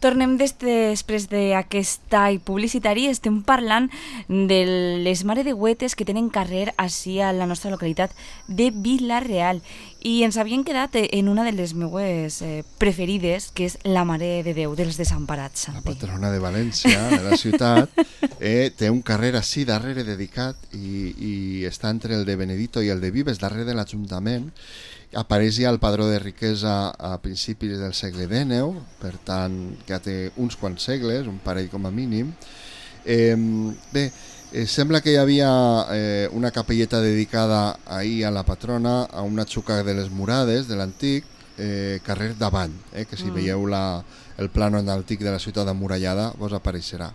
Tornem després d'aquest tall publicitari. Estem parlant de les maredeuetes que tenen carrer així a la nostra localitat de Vila-real. I ens havien quedat en una de les meues preferides, que és la Mare de Déu dels Desemparats. La patrona de València, de la ciutat, té un carrer així darrere dedicat i està entre el de Benedito i el de Vives, darrere de l'Ajuntament. Apareix ja el padró de riquesa a principis del segle XIX, per tant ja té uns quants segles, un parell com a mínim. Sembla que hi havia una capelleta dedicada ahir a la patrona, a una xuca de les Murades, de l'antic, carrer d'Avall, que si veieu el plànol antic de la ciutat amurallada vos apareixerà.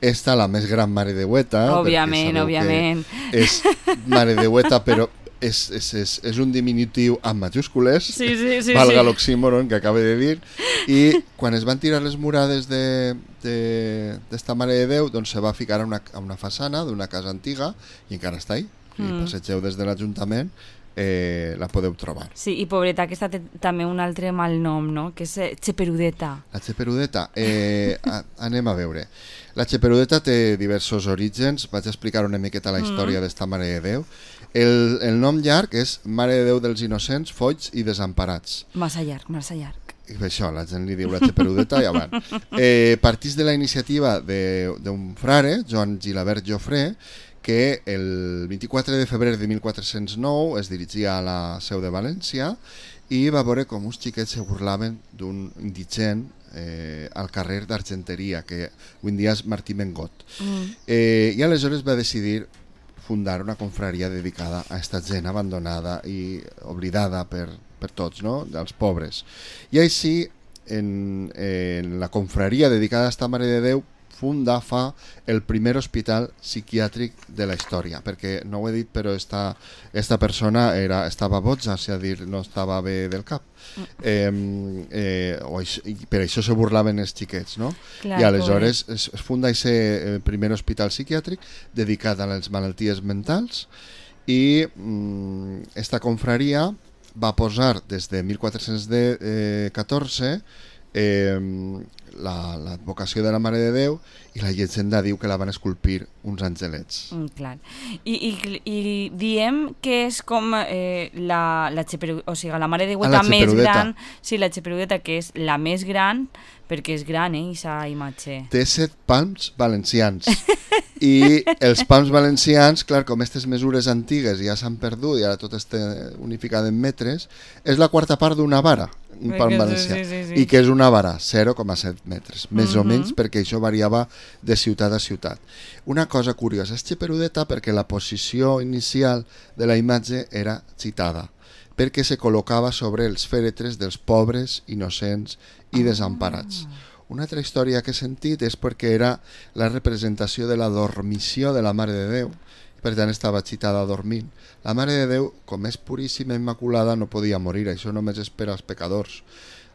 Esta, la més gran maredeueta, òbviament. És maredeueta, però és un diminutiu amb majúscules, valga l'oxímoron que acaba de dir, i quan es van tirar les murades d'esta Mare de Déu, doncs se va ficar a una façana d'una casa antiga i encara està ahí. Si passegeu des de l'Ajuntament la podeu trobar. Sí, i pobreta, aquesta té també un altre mal nom, no? Que és Xeperudeta. La Xeperudeta, anem a veure. La Xeperudeta té diversos orígens, vaig explicar una miqueta la història d'esta Mare de Déu. El nom llarg és Mare de Déu dels Innocents, Foigs i Desemparats. Massa llarg, massa llarg. I això, la gent li diu la Xeperudeta i avant. Partís de la iniciativa d'un frare, Joan Gilabert Jofré, que el 24 de febrer de 1409 es dirigia a la seu de València i va veure com uns xiquets se burlaven d'un indigent al carrer d'Argenteria, que avui en dia és Martí Mengot. I aleshores va decidir fundar una confraria dedicada a aquesta gent abandonada i oblidada per tots, no? Els pobres. I així, en la confraria dedicada a esta Mare de Déu, fa el primer hospital psiquiàtric de la història, perquè no ho he dit, però esta persona estava boja, és a dir, no estava bé del cap. Per això se burlaven els xiquets, no? I aleshores es funda aquest primer hospital psiquiàtric dedicat a les malalties mentals i esta confraria va posar des de 1414 l'advocació de la Mare de Déu i la llegenda diu que la van esculpir uns angelets. Clar. I diem que és com la Mare de Déu més gran, sí, la Xeperudeta, que és la més gran, perquè és gran, aquesta imatge. Té 7 palms valencians. I els palms valencians, clar, com aquestes mesures antigues ja s'han perdut i ara tot està unificat en metres, és la quarta part d'una vara, un palm valencià, i que és una vara, 0,7 metres, més o menys, perquè això variava de ciutat a ciutat. Una cosa curiosa, és Xeperudeta perquè la posició inicial de la imatge era citada, perquè se col·locava sobre els fèretres dels pobres, innocents i desemparats. Una altra història que he sentit és perquè era la representació de la dormició de la Mare de Déu, per tant estava citada dormint. La Mare de Déu, com és puríssima i immaculada, no podia morir, això només és per als pecadors.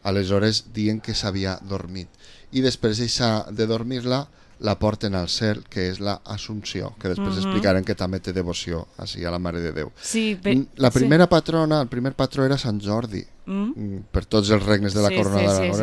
Aleshores diuen que s'havia dormit. I després de dormir-la, la porten al cel, que és la Assumpció, que després explicarem que també té devoció així a la Mare de Déu. La primera patrona, el primer patró era Sant Jordi, per tots els regnes de la corona d'Aragó,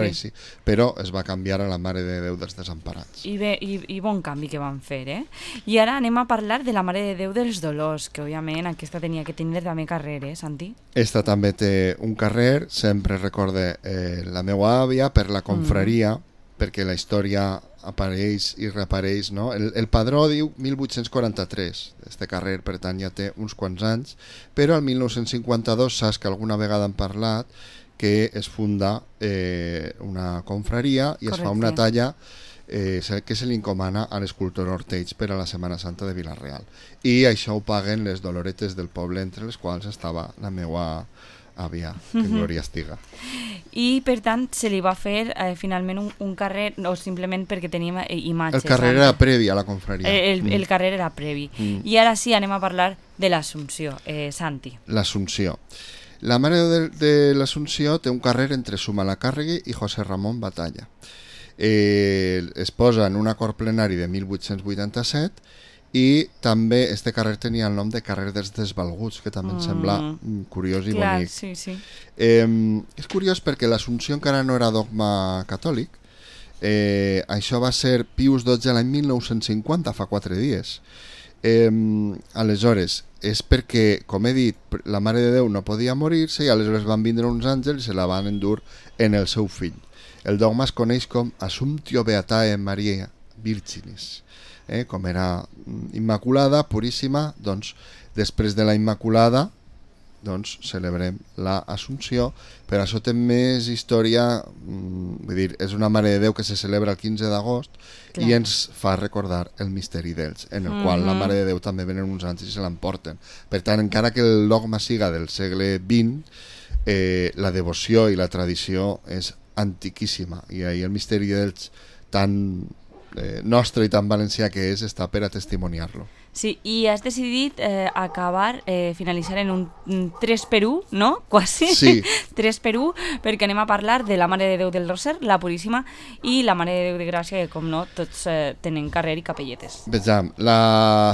però es va canviar a la Mare de Déu dels Desemparats. I bon canvi que van fer, I ara anem a parlar de la Mare de Déu dels Dolors, que òbviament aquesta tenia que tenir també carrer, Santi? Esta també té un carrer, sempre recorde la meva àvia per la confraria, perquè la història apareix i reapareix, no? El padró diu 1843, este carrer, per tant ja té uns quants anys, però el 1952 saps que alguna vegada han parlat que es funda una confraria i es fa una talla que se li encomana a l'escultor Ortells per a la Setmana Santa de Vila-real. I això ho paguen les doloretes del poble, entre les quals estava la meva àvia, que glòria estiga. I per tant se li va fer finalment un carrer, o simplement perquè teníem imatges. El carrer era previ a la confraria. El carrer era previ. I ara sí anem a parlar de l'Assumpció, Santi. L'Assumpció. La Mare de l'Assumpció té un carrer entre Zumalacárregui i José Ramón Batalla. Es posa en un acord plenari de 1887 i també este carrer tenia el nom de carrer dels Desvalguts, que també em sembla curiós i bonic. Sí. És curiós perquè l'Assumpció encara no era dogma catòlic, això va ser Pius XII l'any 1950, fa 4 dies. Aleshores, és perquè, com he dit, la Mare de Déu no podia morir-se i aleshores van vindre uns àngels i se la van endur en el seu fill. El dogma es coneix com Assumptio Beatae Mariae Virginis. Com era immaculada, puríssima, doncs després de la Immaculada doncs celebrem la Assumpció, però això té més història, vull dir, és una Mare de Déu que se celebra el 15 d'agost i ens fa recordar el misteri d'ells, en el qual la Mare de Déu també venen uns àngels i se l'emporten. Per tant, encara que el dogma siga del segle XX, la devoció i la tradició és antiquíssima i ahir el misteri d'ells tan nostre i tan valencià que és, està per a testimoniar-lo. Sí, i has decidit finalitzar en un 3x1, no? Quasi. Sí. 3x1, perquè anem a parlar de la Mare de Déu del Roser, la Puríssima, i la Mare de Déu de Gràcia, que com no, tots tenen carrer i capelletes. Vejam, la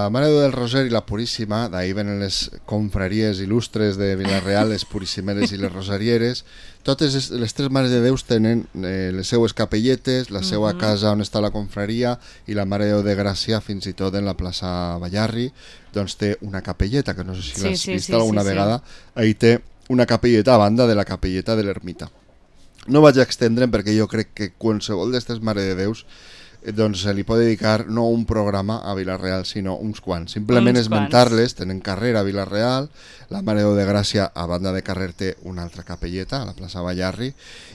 Mare de Déu del Roser i la Puríssima, d'ahir venen les confraries il·lustres de Vila-real, les Puríssimeres i les Rosarieres. Totes les 3 Mares de Déus tenen les seues capelletes, la seva casa on està la confraria, i la Mare de Déu de Gràcia, fins i tot en la plaça Ballarri, doncs té una capelleta, que no sé si l'has vist alguna vegada. Ahí té una capelleta a banda de la capelleta de l'ermita. No vaig a extendre'm perquè jo crec que qualsevol d'aquestes Mare de Déus doncs se li pot dedicar no un programa a Vila-real, sinó uns quants. Simplement esmentar-les, tenen carrer a Vila-real, la Mare de Déu de Gràcia, a banda de carrer, té una altra capelleta, a la plaça Ballarri,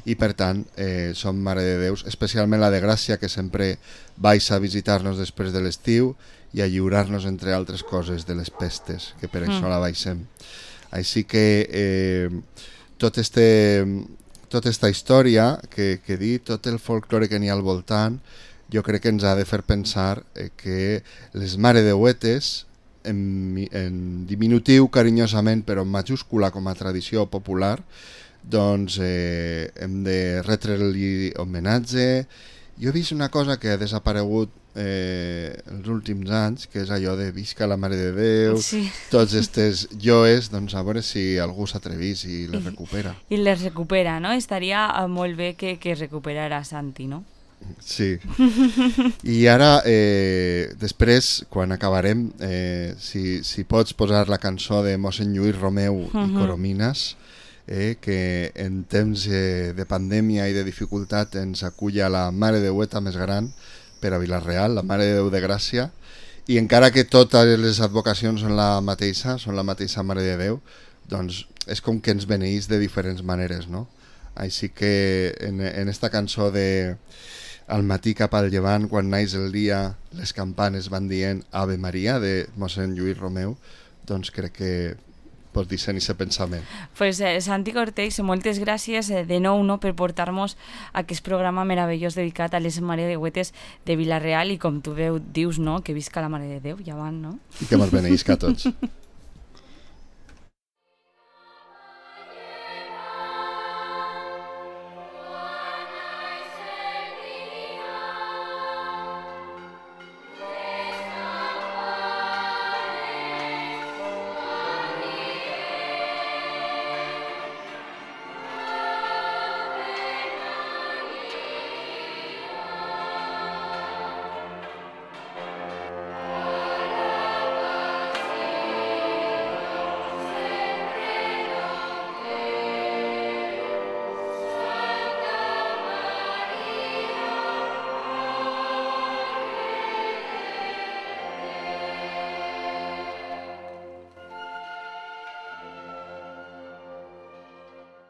i per tant són Mare de Déus, especialment la de Gràcia, que sempre vais a visitar-nos després de l'estiu i a lliurar-nos, entre altres coses, de les pestes, que per això la baixem. Així que tota esta història que he dit, tot el folklore que n'hi ha al voltant, jo crec que ens ha de fer pensar que les Mare Deuetes, en diminutiu carinyosament però en majúscula com a tradició popular, doncs hem de retre-li homenatge. Jo he vist una cosa que ha desaparegut els últims anys, que és allò de visca la Mare de Déu, tots estes joes, doncs a veure si algú s'atrevís i les recupera. I les recupera, no? Estaria molt bé que recuperara Santi, no? Sí. I ara, després, quan acabarem, si pots posar la cançó de mossèn Lluís Romeu i Coromines, que en temps de pandèmia i de dificultat ens aculla la Mare Déueta més gran per a Vila-real, la Mare de Déu de Gràcia, i encara que totes les advocacions són la mateixa Mare de Déu, doncs és com que ens beneís de diferents maneres, no? Així que en esta cançó de Al matí cap al llevant, quan naix el dia, les campanes van dient Ave Maria, de mossèn Lluís Romeu, doncs crec que pots dissenyar aquest pensament. Pues Santi Cortés, moltes gràcies de nou per portar-nos aquest programa meravellós dedicat a les Mare Deuetes de Vila-real i com tu dius, no? Que visca la Mare de Déu, ja van, no? I que mos beneïsca a tots.